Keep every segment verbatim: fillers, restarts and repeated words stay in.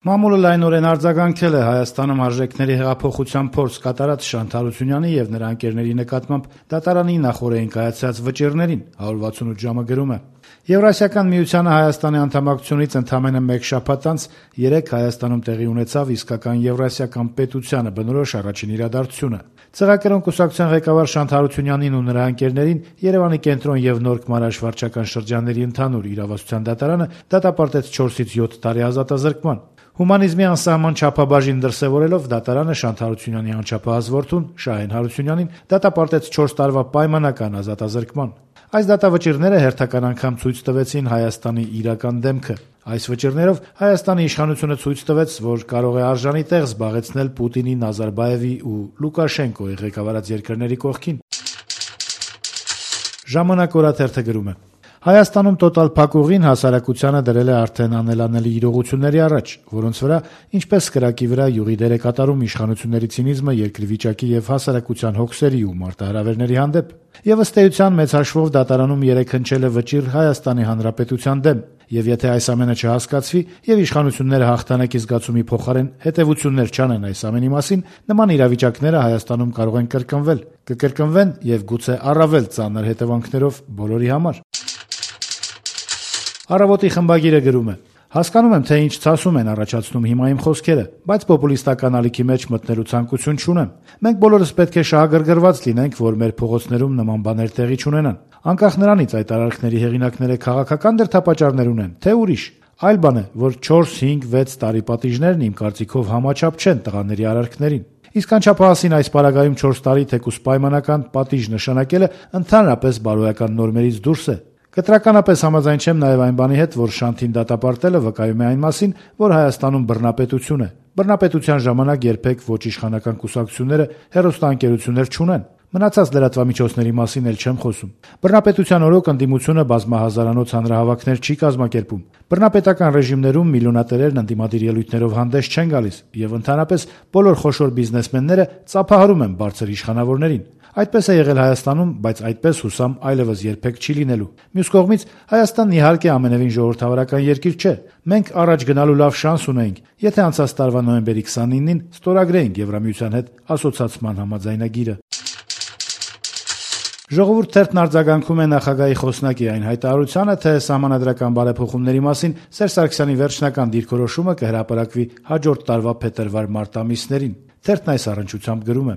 Մամուլը լայնորեն արձագանքել է Հայաստանում արժեքների հեղափոխության փորձ կատարած Շանթ Հարությունյանի եւ նրա ընկերների նկատմամբ դատարանի նախօրեին կայացած վճիռներին, հարյուր վաթսունութ ժամը գրում է. Եվրասիական միությանը Հայաստանի անդամակցությունից ընդամենը մեկ շաբաթ անց երեկ Հայաստանում տեղի ունեցավ իսկական եվրասիական պետությանը բնորոշ առաջին իրադարձությունը։ Ծղակերուն կուսակցության ղեկավար Շանթ Հարությունյանին ու նրա ընկերներին Երևանի կենտրոն եւ Նորք Մարաշ վարչական շրջանների ընդհանուր իրավասության դատարանը դատապարտեց չորսից յոթ տարի ազատազրկման։ Հումանիզմի անսահման չափաբաժին դրսևորելով դատարանը Շանթ Հարությունյանի անչափահաս որդուն Շահեն Հարությունյանին դատապարտեց չորս տարվա պայմանական ազատազրկման։ Այս դատավճիռները հերթական անգամ ցույց տվեցին Հայաստանի իրական դեմքը։ Այս վճիռներով Հայաստանի իշխանությունը ցույց տվեց, որ կարող է արժանի տեղ զբաղեցնել Պուտինի, Նազարբաևի ու Լուկաշենկոյի ղեկավարած երկրների կողքին։ Ժամանակ օրաթերթը գրում է. Հայաստանում տոտալ փակուղին հասարակությանը դրել է արդեն անելանելի իրողությունների առաջ, որոնց վրա ինչպես կրակի վրա յուղի դեր է կատարում իշխանությունների ցինիզմը երկրի վիճակի եւ հասարակության հոգսերի ու մարտահրավերների հանդեպ։ Եվ ըստ էության մեծ հաշվով դատարանում երեկ հնչել է վճիռ Հայաստանի Հանրապետության դեմ, եւ եթե այս ամենը չհասկացվի եւ իշխանությունները հաղթանակի զգացումի փոխարեն հետեւություններ չանեն այս ամենի մասին, նման իրավիճակները Հայաստանում կարող են կրկնվել, կկրկնվեն եւ գուցե առավել ծանր հետևանքներով բոլորի համար։ Առավոտի խմբագիրը գրում է. Հասկանում եմ, թե ինչ ցասում են առաջացնում հիմա իմ խոսքերը, բայց պոպուլիստական ալիքի մեջ մտնելու ցանկություն չունեմ։ Մենք բոլորս պետք է շահագրգռված լինենք, որ մեր փողոցներում նման բաներ տեղի չունենան։ Անկախ նրանից այդ արարքների հեղինակները քաղաքական դրդապատճառներ ունեն, թե ուրիշ։ Այլ բան է, որ չորս, հինգ, վեց տարի պատիժներն իմ կարծիքով համաչափ չեն տղաների արարքներին։ Իսկ անչափահասին այս պարագայում չորս տարի թեկուզ պայմանական պատիժ նշանակելը ընդհանրապես բարոյական նորմերից դուրս է։ Կտրականապես համաձայն չեմ նաև այն բանի հետ, որ Շանթին դատապարտելը վկայում է այն մասին, որ Հայաստանում բռնապետություն է։ Բռնապետության ժամանակ երբեք ոչ իշխանական կուսակցությունները հեռուստաընկերություններ չունեն։ Մնացած լրատվամիջոցների մասին էլ չեմ խոսում։ Բռնապետության օրոք ընդդիմությունը բազմահազարանոց հանրահավաքներ չի կազմակերպում։ Բռնապետական ռեժիմներում միլիոնատերերն ընդդիմադիր ելույթներով հանդես չեն գալիս եւ ընդհանրապես բոլոր խոշոր բիզնեսմենները ծափահարում են բարձր իշխանավորներին։ Այդպես է եղել Հայաստանում, բայց այդպես հուսամ այլևս երբեք չի լինելու։ Մյուս կողմից Հայաստանն իհարկե ամենևին ժողովրդավարական երկիր չէ։ Մենք առաջ գնալու լավ շանս ունեինք, եթե անցած տարվա նոյեմբերի քսանինին ստորագրեինք Եվրամիության հետ ասոցացման համաձայնագիրը։ Ժողովուրդ թերթն արձագանքում է նախագահի խոսնակի այն հայտարարությանը, թե սահմանադրական բարեփոխումների մասին Սերժ Սարգսյանի վերջնական դիրքորոշումը կհրապարակվի հաջորդ տարվա փետրվար-մարտ ամիսներին։ Թերթն այս առնչությամբ գրում է.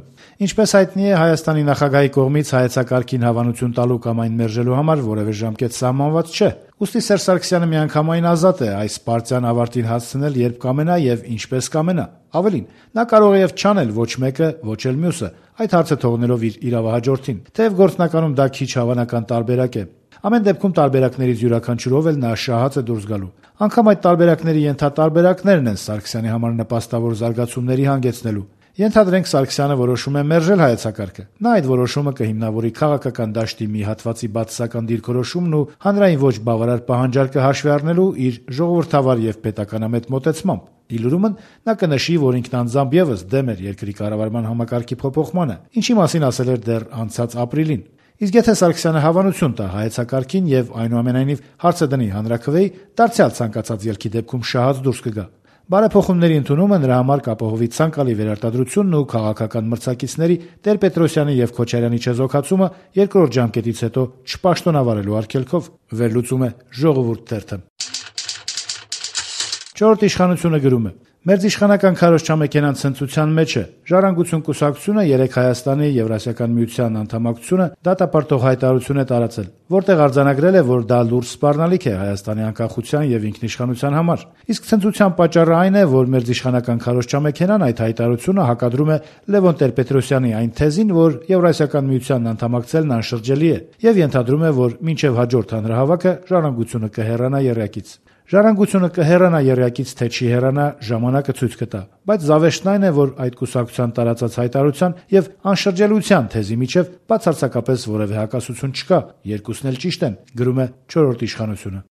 Ինչպես հայտնի է, Հայաստանի նախագահի կողմից հայեցակարգին հավանություն տալու կամ այն մերժելու համար որևէ ժամկետ սահմանված չէ։ Ուստի Սերժ Սարգսյանը միանգամայն ազատ է այս պարտիան ավարտին հասցնել, երբ կամենա եւ ինչպես կամենա։ Ավելին, նա կարող է եւ չանել ոչ մեկը, ոչ էլ մյուսը, այդ հարցը թողնելով իր իրավահաջորդին, թեև գործնականում դա քիչ հավանական տարբերակ է։ Ամեն դեպքում տարբերակներից յուրաքանչյուրով էլ նա շահած է դուրս գալու։ Անկամ այդ տարբերակների ենթատարբերակներն են Սարգսյանի համար նպաստավոր զարգացումների հանգեցնելու։ Ենթադրենք Սարգսյանը որոշում է մերժել հայեցակարգը։ Նա այդ որոշումը կհիմնավորի քաղաքական դաշտի մի հատվածի բացասական դիրքորոշումն ու հանրային ոչ բավարար պահանջարկը հաշվի առնելու իր ժողովրդավար եւ պետականամետ մոտեցմամբ։ Իլուրումն նա կնշի, որ ինքն անձամբ եւս դեմ էր երկրի կառավարման համակարգի փոփոխմանը, ինչի մասին ասել էր դեռ անցած ապրիլին։ Իսկ եթե Սարգսյանը հավանություն տա հայեցակարգին եւ այնուամենայնիվ հարցը դնի հանրաքվեի, դարձյալ ցանկացած ելքի դեպքում շահած դուրս կգա։ Բարեփոխումների ընդունումը նրա համար կապահովի ցանկալի վերարտադրությունն ու քաղաքական մրցակիցների Տեր-Պետրոսյանի եւ Քոչարյանի չեզոքացումը երկրորդ ժամկետից հետո չպաշտոնավարելու արգելքով, վերլուծում է Ժողովուրդ թերթը։ Չորրորդ իշխանությունը գրում է. Մերձիշխանական քարոզչամեքենան ցնծության մեջ է։ Ժառանգություն կուսակցությունը երեկ Հայաստանի Եվրասիական միության անդամակցությունը դատապարտող հայտարարություն է տարածել, որտեղ արձանագրել է, որ դա լուրջ սպառնալիք է Հայաստանի անկախության եւ ինքնիշխանության համար։ Իսկ ցնծության պատճառը այն է, որ մերձիշխանական քարոզչամեքենան այդ հայտարարությունը հակադրում է Լևոն Տեր-Պետրոսյանի այն թեզին, որ Եվրասիական միությանն անդամակցելն անշրջելի է, եւ ենթադրում է, որ մինչեւ հաջորդ հանրահավաքը ժառանգությունը կհեռանա եռյակից։ Ժառանգությունը կհեռանա եռյակից, թե չի հեռանա, ժամանակը ցույց կտա, բայց զավեշտն այն է, որ այդ կուսակցության տարածած հայտարարության եւ անշրջելիության թեզի միջև բացարձակապես որևէ հակասություն չկա, երկուսն էլ ճիշտ են, գրում է չորրորդ իշխանությունը։